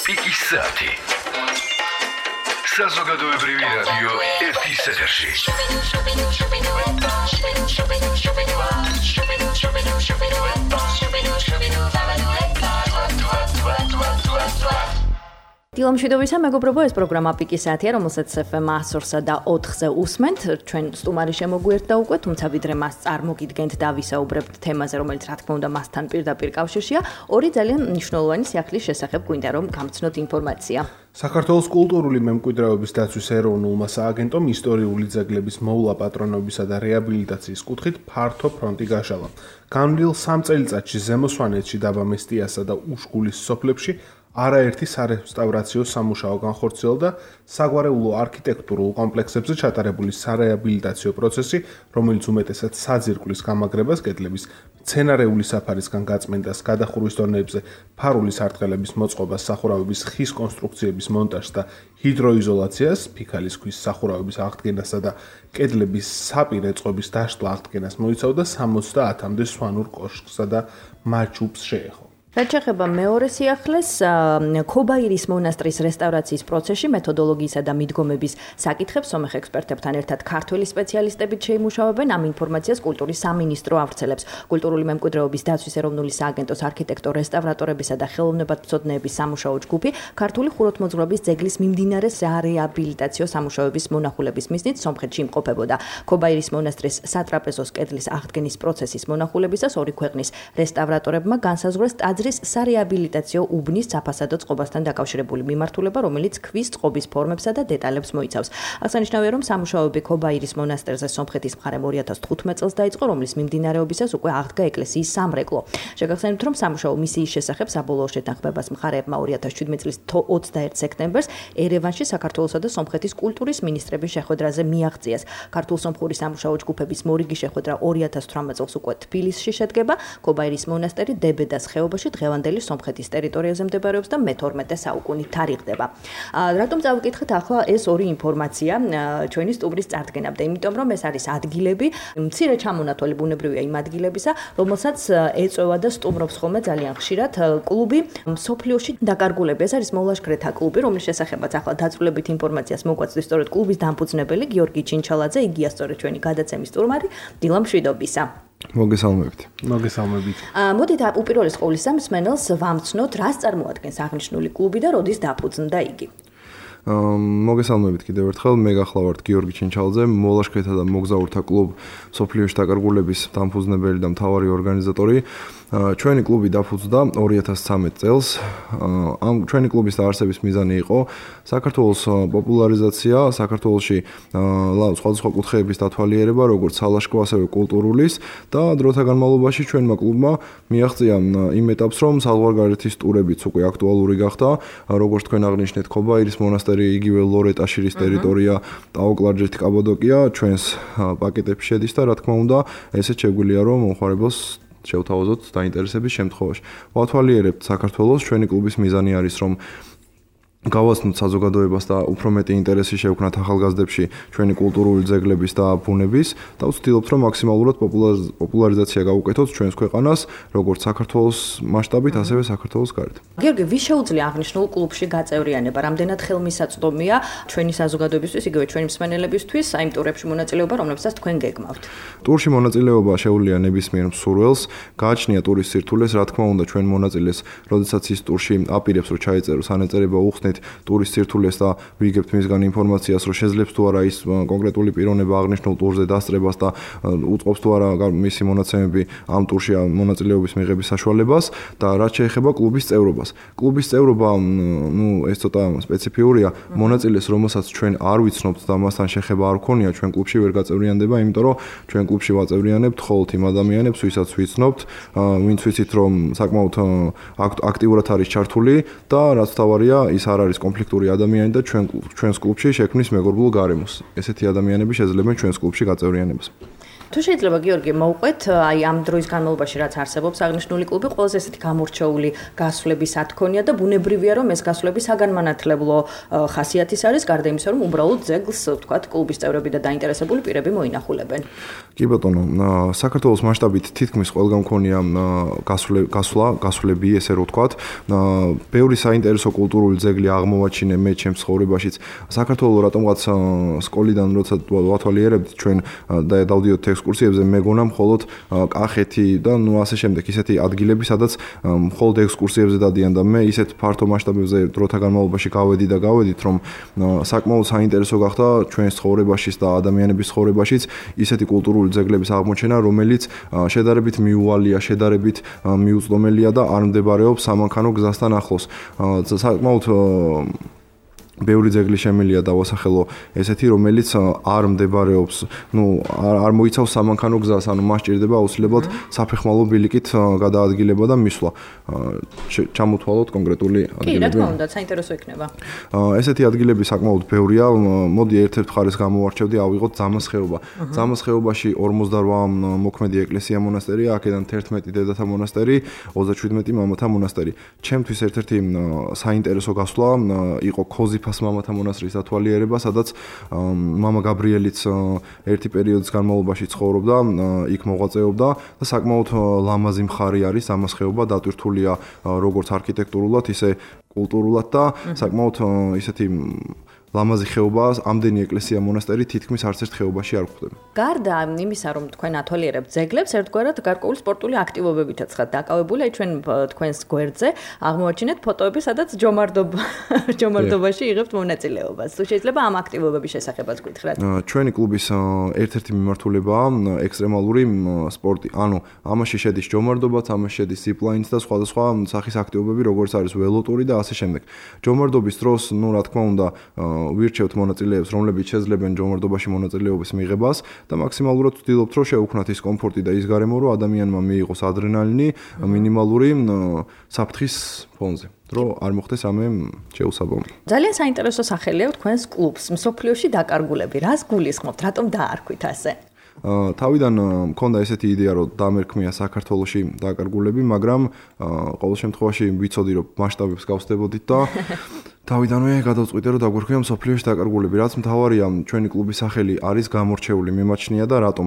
Picchissati. Საზოგადოებრივი რადიო ერთის ეთერში. დილამშვიდობისა, მეგობრებო, ეს პროგრამა პიკისათია, რომელსაც FM 100-სა და 4-ზე უსმენთ. ჩვენ სტუმარი შემოგვიერთდა უკვე, თუმცა ვიდრე მას წარმოგიდგენთ და ვისაუბრებთ თემაზე, რომელიც რა თქმა უნდა მასთან პირდაპირ კავშირშია, ორი ძალიან მნიშვნელოვანი სიახლის შესახებ გვინდა რომ გამცნოთ ინფორმაცია. საქართველოს კულტურული მემკვიდრეობის დაცვის ეროვნულმა სააგენტომ ისტორიული ძეგლების მოვლა პატრონობისა და რეაბილიტაციის კუთხით ფართო ფრონტი გაშალა. განვლილ 3 წელიწადში ზემო სვანეთში, დაბა მესტიასა და უშგულის სოფლებში არაერთი სარესტავრაციო სამუშაო განხორციელდა და საგვარეულო არქიტექტურულ კომპლექსებზე ჩატარებული სარეაბილიტაციო პროცესი, რომელიც უმეტესად საძირკვლის გამაგრებას, კედლების მცენარეული საფარისგან გაწმენდას, გადახურვის დონეებზე ფარულის არტყელების მოწყობას, სახურავების ხის კონსტრუქციების მონტაჟს და ჰიდროიზოლაციას, ფიქალის ქვის სახურავების აღდგენასა და კედლების საპირე წყობის დაშლა აღდგენას მოიცავდა 70-მდე სვანურ კოშკსა და მაჩუბს შეეხო. რაც შეეხება მეორე სიახლეს, ქობაირის მონასტრის რესტავრაციის პროცესში მეთოდოლოგიისა და მიდგომების საკითხებს სომეხ ექსპერტებთან ერთად ქართველი სპეციალისტებით შეიმუშავებენ. ამ ინფორმაციას კულტურის სამინისტრო ავრცელებს. კულტურული მემკვიდრეობის დაცვის ეროვნული სააგენტოს არქიტექტორ რესტავრატორებისა და ხელოვნებათმცოდნეების სამუშაო ჯგუფი ქართული ხუროთმოძღვრების ძეგლის მიმდინარე სარეაბილიტაციო სამუშაოების მონახულების მიზნით სომხეთში იმყოფებოდა. ქობაირის მონასტრის სატრაპეზოს კედლის აღდგენის პროცესის მონახულებისას ორი ქვეყნის რესტავრატორებმა განსაზღვრეს ტაძრის სარეაბილიტაციო უბნის საფასადო წყობასთან დაკავშირებული მიმართულება, რომელიც ქვის წყობის ფორმებსა და დეტალებს მოიცავს. აღსანიშნავია, რომ სამუშაოები ქობაირის მონასტერზე სომხეთის მხარემ 2015 წელს დაიწყო, რომლის მიმდინარეობისას უკვე აღდგა ეკლესიის სამრეკლო. შეგახსენებთ, რომ სამუშაო მისიის შესახებ საბოლოო შეთანხმებას მხარეებმა 2017 წლის 21 სექტემბერს ერევანში საქართველოსა და სომხეთის კულტურის მინისტრების შეხვედრაზე მიაღწიეს. ქართულ-სომხური სამუშაო ჯგუფების მორიგი შეხვედრა 2018 წელს უკვე თბილისში შედგება. ქობაირის მონასტერი დებედას ხეობაში დღევანდელი სომხეთის ტერიტორიაზე მდებარეობს და მე-12 საუკუნით თარიღდება. რატომ წავიკითხეთ ახლა ეს ორი ინფორმაცია ჩვენი სტუმრის წარდგენამდე? იმიტომ რომ ეს არის ადგილები, მცირე ჩამონათვალი ბუნებრივია იმ ადგილებისა, რომელსაც ეწევა და სტუმრობს ხოლმე ძალიან ხშირად კლუბი მსოფლიოში დაკარგულები. ეს არის მოლაშქრეთა კლუბი, რომლის შესახებაც ახლა დაწვრილებით ინფორმაციას მოგვაწვდის სწორედ კლუბის დამფუძნებელი გიორგი ჩინჩალაძე, იგია სწორედ ჩვენი გადაცემის სტუმარი. დილამშვიდობისა. მოგესალმებით. მოდით უპირველეს ყოვლისა მსმენელს ვამცნოთ, რას წარმოადგენს აღნიშნული კლუბი და როდის დაფუძნდა იგი. მოგესალმებით კიდევ ერთხელ, მე გახლავართ გიორგი ჩინჩალაძე, მოლაშქრეთა და მოგზაურთა კლუბ სოფლიოში დაკარგულების დამფუძნებელი და მთავარი ორგანიზატორი. ჩვენი კლუბი დაფუძნდა 2013 წელს. ამ ჩვენი კლუბის დაარსების მიზანი იყო საქართველოს პოპულარიზაცია, საქართველოში სხვადასხვა კუთხეების დათვალიერება, როგორც სალაშქრო, ასევე კულტურულის და დროთა განმავლობაში ჩვენმა კლუბმა მიაღწია იმ ეტაპს, რომ საზღვარგარეთის ტურებიც უკვე აქტუალური გახდა, როგორც თქვენ აღნიშნეთ, ქობაირის მონასტერი, იგივე ლორეტაშირის ტერიტორია, ტაო-კლარჯეთი, კაბადოკია ჩვენს პაკეტებში შედის და რა თქმა უნდა, ესეც შეგვიძლია რომ მომხმარებელს შევთავაზოთ დაინტერესების შემთხვევაში. ვათვალიერებთ საქართველოს, ჩვენი კლუბის მიზანი არის რომ გავაცნოთ საზოგადოებას და უფრო მეტი ინტერესი შევქმნათ ახალგაზრდებში ჩვენი კულტურული ძეგლების და ბუნების და ვცდილობთ რომ მაქსიმალურად პოპულარიზაცია გავუკეთოთ ჩვენს ქვეყანას, როგორც საქართველოს მასშტაბით, ასევე საქართველოს გარეთ. გიორგი, ვის შეუძლია აღნიშნულ კლუბში გაწევრიანება? რამდენად ხელმისაწვდომია ჩვენი საზოგადოებისთვის, იგივე ჩვენი მსმენელებისთვის აი იმ ტურებში მონაწილეობა, რომლებსაც თქვენ გეგმავთ? ტურში მონაწილეობა შეუძლია ნებისმიერ მსურველს, გააჩნია ტურის სირთულეს, რა თქმა უნდა, ჩვენ მონაწილეს, როდესაც ის ტურში აპირებს რომ ჩაიწეროს ანეწერება უხსნით ტურის სირთულეს და ვიგებთ მისგან ინფორმაციას, რომ შეძლებს თუ არა ის კონკრეტული პიროვნება აღნიშნულ ტურზე დასწრებას და უწყობს თუ არა მისი მონაცემები ამ ტურში მონაწილეობის მიღების საშუალებას და რაც შეეხება კლუბის წევრობას. კლუბის წევრობა, ეს ცოტა სპეციფიურია, მონაწილეს, რომელსაც ჩვენ არ ვიცნობთ და მასთან შეხება არ გქონია, ჩვენ კლუბში ვერ გაწევრიანდება, იმიტომ რომ ჩვენ კლუბში ვაწევრიანებთ მხოლოდ იმ ადამიანებს, ვისაც ვიცნობთ, ვინც ვიცით რომ საკმაოდ აქტიურად არის ჩართული და რაც თავარია, ის არ არის კონფლიქტური ადამიანი და ჩვენს კლუბში შექმნის მეგობრულ გარემოს. ესეთი ადამიანები შეძლებენ ჩვენს კლუბში გაწევრიანებას. თუ შეიძლება გიორგი მოვყვეთ აი ამ დროის განმავლობაში რაც არსებობს აღნიშნული კლუბი ყველაზე ესეთი გამორჩეული გასვლების ათქონია და ბუნებრივია რომ ეს გასვლები საგანმანათლებლო ხასიათის არის გარდა იმისა რომ უბრალოდ ძეგლს ვთქვათ კლუბის წევრები და დაინტერესებული პირები მოინახულებენ. კი ბატონო, საქართველოს მასშტაბით თითქმის ყველგან მქონია გასვლები, ესე რომ ვთქვათ. ბევრი საინტერესო კულტურული ძეგლი აღმოვაჩინე მე ჩემს ცხოვრებაშიც. საქართველოს რატომღაც სკოლიდან როცა ვათვალიერებთ ჩვენ და დავდიოდით ექსკურსიებზე, მეგონა მხოლოდ კახეთი და ნუ ასე შემდეგ ისეთი ადგილები, სადაც მხოლოდ ექსკურსიებზე დადიან და მე ისეთ ფართო მასშტაბებზე დროთა განმავლობაში გავედით, რომ საკმაოდ საინტერესო გახდა ჩვენს ცხოვრებაშიც და ადამიანების ცხოვრებაშიც ისეთი კულტურული ძეგლების აღმოჩენა, რომელიც შედარებით მიუვალია, შედარებით მიუწვდომელია და არ მდებარეობს სამანქანო გზასთან ახლოს. საკმაოდ ბევრი ძეგლი შემილია დავასახელო ესეთი, რომელიც არ მდებარეობს, არ მოიცავს სამანქანო გზას, ანუ მას სჭირდება აუცილებლად საფეხმავლო ბილიკით გადაადგილება და მისვლა. ჩამოთვალოთ კონკრეტული ადგილები. კი, რა თქმა უნდა, საინტერესო იქნება. ესეთი ადგილები საკმაოდ ბევრია. მოდი ერთ-ერთ მხარეს გამოვარჩევდი, ავიღოთ ძამას ხეობა. ძამას ხეობაში 48 მოქმედი ეკლესია მონასტერია, აქედან 11 დედათა მონასტერი, 37 მამათა მონასტერი. ჩემთვის ერთ-ერთი საინტერესო გასვლა იყო ქოზიფას მამათა მონასტრის ათვალიერება, სადაც მამა გაბრიელიც ერთი პერიოდის განმავლობაში ცხოვრობდა, იქ მოღვაწეობდა და საკმაოდ ლამაზი მხარი არის ამას ხეობა, დატვირთულია როგორც არქიტექტურულად, ისე კულტურულად და საკმაოდ ისეთი ლამაზი ხეობაა, ამდენი ეკლესია მონასტერი თითქმის არც ერთ ხეობაში არ გვხვდება. გარდა იმისა, რომ თქვენ ათვალიერებთ ძეგლებს, ერთგვარად გარკვეული სპორტული აქტივობებითაც ხართ დაკავებული, აი ჩვენ თქვენს გვერდზე აღმოაჩინეთ ფოტოები, სადაც ჯომარდობაში იღებთ მონაწილეობას. თუ შეიძლება ამ აქტივობების შესახებაც გითხრათ. ჩვენი კლუბის ერთ-ერთი მიმართულებაა ექსტრემალური სპორტი. ანუ ამაში შედის ჯომარდობაც, ამაში შედის ზიპლაინიც და სხვადასხვა სახის აქტივობები, როგორც არის ველოტური და ასე შემდეგ. ჯომარდობის დროს, რა თქმა უნდა, ვირჩევთ მონაწილეებს, რომლებიც შეძლებენ ჯომარდობაში მონაწილეობის მიღებას და მაქსიმალურად ვცდილობთ, რომ შევუქმნათ ის კომფორტი და ის გარემო, რომ ადამიანმა მიიღოს ადრენალინი მინიმალური საფრთხის ფონზე. რომ არ მოხდეს რამე შეუსაბამო. ძალიან საინტერესო სახელია თქვენს კლუბს, მსოფლიოში დაკარგულები. რას გულისხმობთ, რატომ დაარქვით ასე? თავიდან მქონდა ესეთი იდეა, რომ დამერქმია საქართველოში დაკარგულები, მაგრამ ყოველ შემთხვევაში ვიცოდი, რომ მასშტაბებს გავსდებოდით და თავიდანვე გადავწყვიტე, რომ დაგვერქვია მსოფლიოში დაკარგულები. რაც მთავარია, ჩვენი კლუბის სახელი არის გამორჩეული, მიმაჩნია და რატომ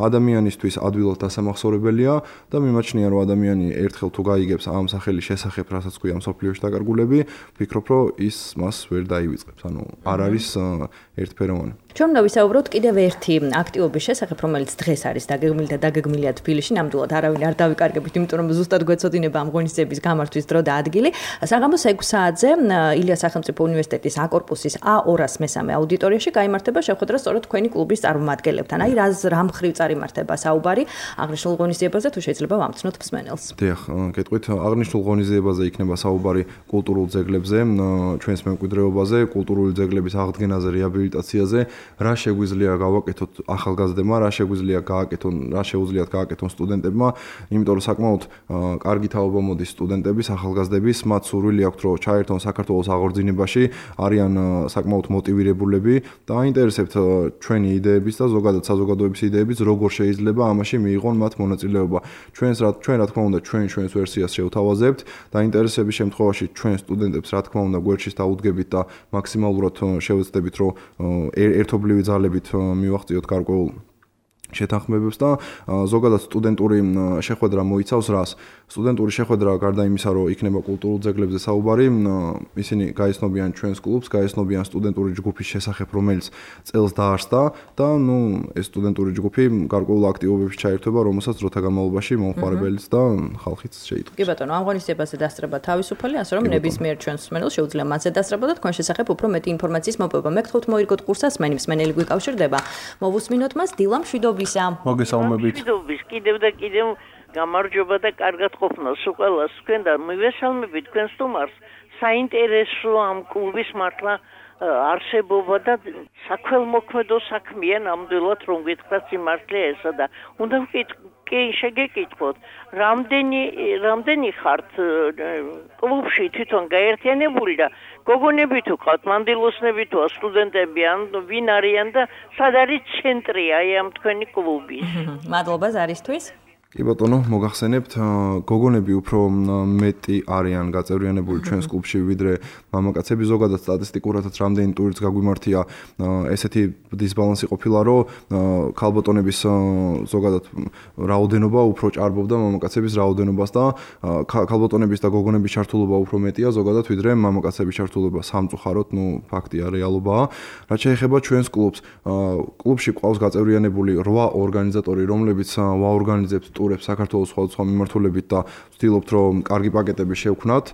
ადამიანისთვის ადვილად დასამახსოვრებელია და მიმაჩნია, რომ ადამიანი ერთხელ თუ გაიგებს ამ სახელის შესახებ, რასაც ქვია მსოფლიოში დაკარგულები, ვფიქრობ, რომ ის მას ვერ დაივიწყებს. ანუ არ არის ერთფეროვანი. ჩვენ უნდა ვისაუბროთ კიდევ ერთი აქტივობის შესახებ, რომელიც დღეს არის დაგეგმილია თბილისში, ნამდვილად არავინ არ დავიკარგებით, იმიტომ რომ ზუსტად გვეცოდინება ამ ღონისძიების გამართვის დრო და ადგილი. საღამოს 6 საათზე ილიას სახელმწიფო უნივერსიტეტის A-კორპუსის A203 აუდიტორიაში გაიმართება შეხვედრა სწორედ თქვენი კლუბის წარმომადგენლებთან. აი რა მხრივ წარიმართება საუბარი აღნიშნულ ღონისძიებაზე, თუ შეიძლება ვამცნოთ მსმენელს. დიახ, გეტყვით, აღნიშნულ ღონისძიებაზე იქნება საუბარი კულტურულ ძეგლებზე, ჩვენს მემკვიდრეობაზე, კულტურული ძეგლების აღდგენაზე, რეაბილიტაციაზე, რა შეგვიძლია გავაკეთოთ ახალგაზრდებმა, რა შეგვიძლია გააკეთონ, რა შეუძლიათ გააკეთონ სტუდენტებმა, იმიტომ რომ საკმაოდ კარგი თაობა მოდის სტუდენტების, ახალგაზრდების, მათ სურვილი აქვთ, რომ ჩაერთონ საქართველოს აღორძინებაში, არიან საკმაოდ მოტივირებულები და აინტერესებთ ჩვენი იდეების და ზოგადად საზოგადოების იდეების, როგორ შეიძლება ამაში მიიღონ მათ მონაწილეობა. ჩვენ რა თქმა უნდა ჩვენს ვერსიას შევთავაზებთ და აინტერესების შემთხვევაში ჩვენ სტუდენტებს რა თქმა უნდა გვერდშიც დაუდგებით და მაქსიმალურად შევეცდებით, რომ ერთობლივი ძალებით მივახციოთ გარკვეულ შეთანხმებებს და ზოგადად სტუდენტური შეხვედრა მოიცავს რას? სტუდენტური შეხვედრა გარდა იმისა, რომ იქნება კულტურულ ძეგლებზე საუბარი, ისინი გაეცნობიან ჩვენს კლუბს, გაეცნობიან სტუდენტური ჯგუფის შესახებ, რომელიც წელს დაარსდა და ეს სტუდენტური ჯგუფი გარკვეულ აქტივობებში ჩაერთვება, რომელსაც დროთა განმავლობაში მომხმარებელიც და ხალხიც შეიტყვის. კი ბატონო, ამ ღონისძიებაზე დასწრება თავისუფალი, ასე რომ ნებისმიერ ჩვენს მსმენელს შეუძლია მასზე დასწრება და თქვენ შესახებ უფრო მეტი ინფორმაციის მოპოვება. მე გთხოვთ მოირგოთ კურსას, მსმენელი გვიკავშირდება. მოვუსმინოთ მას დილა მშვიდობისა. მოგესალმებით. კიდევ და კიდევ გამარჯობა და კარგად ყოფნას უყველას თქვენ და მივესალმებით თქვენ სტუმარს. საინტერესო ამ კლუბის მართლა არსებობა და sakvelmoქმედო საქმეა ნამდვილად რომ გითხრათ სიმართლე ესა და უნდა კი შეგეკითხოთ, რამდენი ხართ კლუბში თვითონ გაერთიანებული და გოგონები თუ ყავთ, მანდილოსნები თუ სტუდენტები ან ვინ არიან და სად არის ცენტრი აი ამ თქვენი კლუბის? მადლობა ზარისთვის. კი ბატონო, მოგახსენებთ, გოგონები უფრო მეტი არიან გაწევრიანებული ჩვენს კლუბში ვიდრე მამაკაცები. ზოგადად სტატისტიკურადაც რამდენი ტურიც გაგვიმართია, ესეთი დისბალანსი ყოფილა, რომ ქალბატონების ზოგადად რაოდენობა უფრო ჭარბობდა მამაკაცების რაოდენობას და ქალბატონების და გოგონების ჩართულობა უფრო მეტია ზოგადად ვიდრე მამაკაცების ჩართულობა. სამწუხაროდ, ფაქტია, რეალობაა. რაც შეეხება ჩვენს კლუბს, კლუბში ყავს გაწევრიანებული 8 ორგანიზატორი, რომლებიც ვაორგანიზებთ ტურებს საქართველოს სხვადასხვა მიმართულებით და ვცდილობთ რომ კარგი პაკეტები შევქმნათ.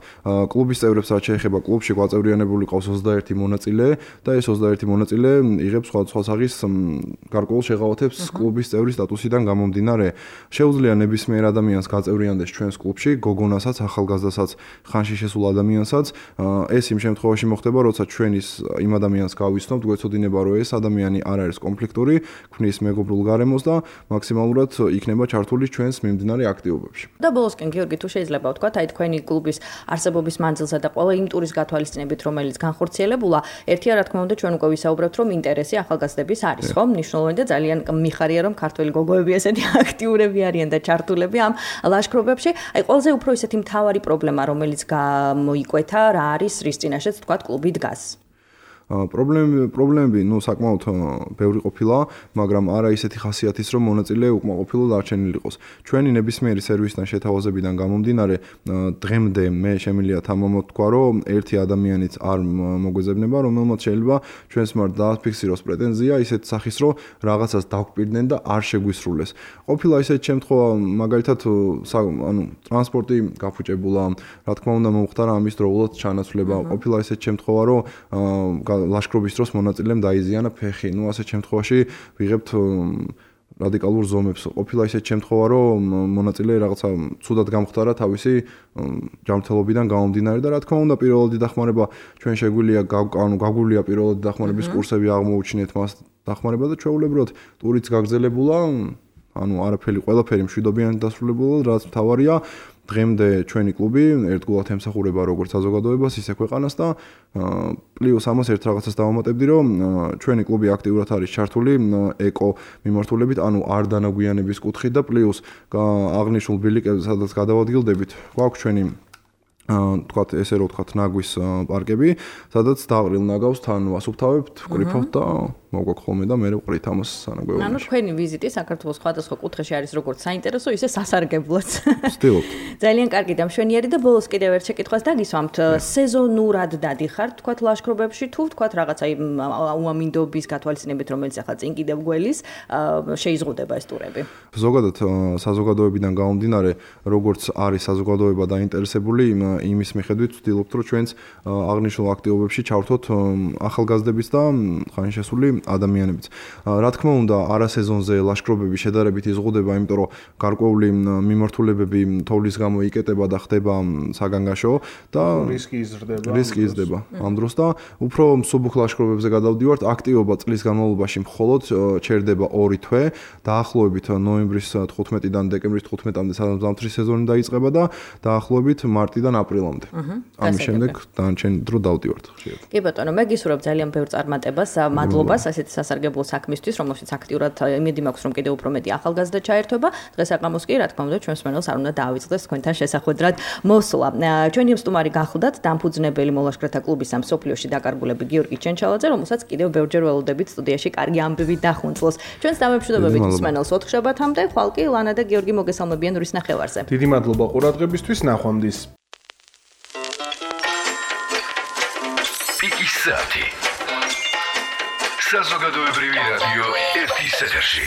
კლუბის წევრებს რაც შეეხება კლუბში გვაწევრიანებული ყავს 21 მონაწილე და ეს 21 მონაწილე იღებს სხვადასხვა სახის გარკვეულ შეღავათებს კლუბის წევრის სტატუსიდან გამომდინარე. შეუძლია ნებისმიერ ადამიანს გაწევრიანდეს ჩვენს კლუბში, გოგონასაც, ახალგაზრდასაც, ხანში შესულ ადამიანსაც. ეს იმ შემთხვევაში მოხდება, როცა ჩვენ იმ ადამიანს გავიცნობთ, გვეცოდინება რომ ეს ადამიანი არ არის კონფლიქტური, ქმნის მეგობრულ გარემოს და მაქსიმალურად იქნება ჩართული ჩვენს მიმდინარე აქტივობებში. და ბოლოსკენ გიორგი თუ შეიძლება ვთქვათ, აი თქვენი კლუბის არსებობის მანძილზე და ყველა იმ ტურის გათვალისწინებით, რომელიც განხორციელებულა, ერთია რა თქმა უნდა ჩვენ უკვე ვისაუბრებთ, რომ ინტერესი ახალგაზრდების არის, ხო? მნიშვნელოვანი და ძალიან მიხარია, რომ ქართველი გოგოები ესეთი აქტიურები არიან და ჩართულები ამ ლაშქრობებში. აი ყველაზე უფრო ისეთი მთავარი პრობლემა, რომელიც გამოიკვეთა, რა არის, რის წინაშეც ვთქვათ, კლუბი დგას. პრობლემები, საკმაოდ ბევრი ყოფილა, მაგრამ არა ისეთი ხასიათის, რომ მონაწილე უკმაყოფილო დარჩენილი იყოს. ჩვენი ნებისმიერი სერვისიდან შეთავაზებიდან გამომდინარე, დღემდე მე შემიძლია თამამად თქვა, რომ ერთი ადამიანიც არ მოგვეძებნება, რომელმაც შეიძლება ჩვენს მიმართ დააფიქსიროს პრეტენზია ისეთ სახის, რომ რაღაცას დაგვპირდნენ და არ შეგვისრულეს. ყოფილა ისეთი შემთხვევა, მაგალითად, ტრანსპორტი გაფუჭებულა, რა თქმა უნდა, მომხდარა ამის დროულად ჩანაცვლება. ყოფილა ისეთი შემთხვევა, რომ ლაშქრობის დროს მონაწილემ დაიზიანა ფეხი. ასეთ შემთხვევაში ვიღებთ რადიკალურ ზომებს. ყოფილა ისეთი შემთხვევა, რომ მონაწილე რაღაცა ცუდად გამხდარა თავისი ჯანმრთელობიდან გამომდინარე და რა თქმა უნდა, პირველადი დახმარება ჩვენ შეგვიძლია გაგვულია პირველადი დახმარების კურსები აღმოუჩინეთ მას დახმარება და ჩვეულებრივად ტურიც გაგრძელებულა, ყველაფერი მშვიდობიანად დასრულებულა, რაც მთავარია. დღემდე ჩვენი კლუბი ერთგულად ემსახურება როგორც საზოგადოებას, ისე ქვეყანას და პლუს ამას ერთ რაღაცას დავამატებდი, რომ ჩვენი კლუბი აქტიურად არის ჩართული ეკო მიმართულებით, არ დანაგვიანების კუთხით და პლუს აღნიშნულ ბილიკებზე, სადაც გადავადგილდებით, გვაქვს ჩვენი თქვათ ესე რომ თქვათ ნაგვის პარკები, სადაც დაყრილ ნაგავს თან ვასუფთავებთ, ვკრიფავთ და მოგვაქვს ხოლმე და მე ვყრით ამას სანაგვეულში. თქვენი ვიზიტი საქართველოს სხვადასხვა კუთხეში არის როგორც საინტერესო, ისე სასარგებლოც. ვცდილობთ. ძალიან კარგი და მშვენიერი და ბოლოს კიდევ ერთ შეკითხვას დაგისვამთ. სეზონურად დადიხართ, თქვათ ლაშქრობებში თუ თქვათ რაღაცა უამინდობის გათვალისწინებით, რომელიც ახლა წინ კიდევ გველის შეიზღუდება ეს ტურები. ზოგადად საზოგადოებიდან გამომდინარე, როგორც არის საზოგადოება დაინტერესებული იმის მიხედვით ვცდილობთ, რომ ჩვენს აღნიშნულ აქტივობებში ჩავრთოთ ახალგაზრდების და ხანშესული ადამიანებიც. რა თქმა უნდა, არასეზონზე ლაშქრობები შედარებით იზღუდება, იმიტომ რომ გარკვეული მიმართულებები თოვლის გამო იკეტება და ხდება საგანგაშო და რისკი იზრდება. ამ დროს და უფრო მსუბუქ ლაშქრობებზე გადავდივართ. აქტივობა წლის განმავლობაში მხოლოდ ჩერდება 2 თვე, დაახლოებით ნოემბრის 15-დან დეკემბრის 15-მდე ზამთრის სეზონი დაიწყება და დაახლოებით მარტიდან აპრილამდე. ამის შემდეგ დანარჩენი დრო დავდივართ ხშირად. კი ბატონო, მე გისურვებ ძალიან ბევრ წარმატებას, მადლობას ასეთი სასარგებლო საქმისთვის, რომელშიც აქტიურად იმედი მაქვს, რომ კიდევ უფრო მეტი ახალგაზრდა ჩაერთვება. დღესაკამოს კი, რა თქმა უნდა, ჩვენს მსმენელს არ უნდა დაავიწყდეს თქვენთან შესახვედრად მოსვლა. ჩვენი სტუმარი გახლდათ დამფუძნებელი მოლაშქრეთა კლუბის ამ სოფლიოში დაკარგულები გიორგი ჩენჩალაძე, რომელსაც კიდევ ბევრჯერ ველოდებით სტუდიაში კარგი ამბები დახუნწლოს. ჩვენს დამემშვიდობებით მსმენელს 4 შაბათამდე, ხვალ კი ლანა და გიორგი მოგესალმებიან რის ნახევარზე. დიდი მადლობა ყურადღებისთვის, ნახვამდის. Piki-Sati. Საზოგადოებრივი რადიო 1 ეთერში.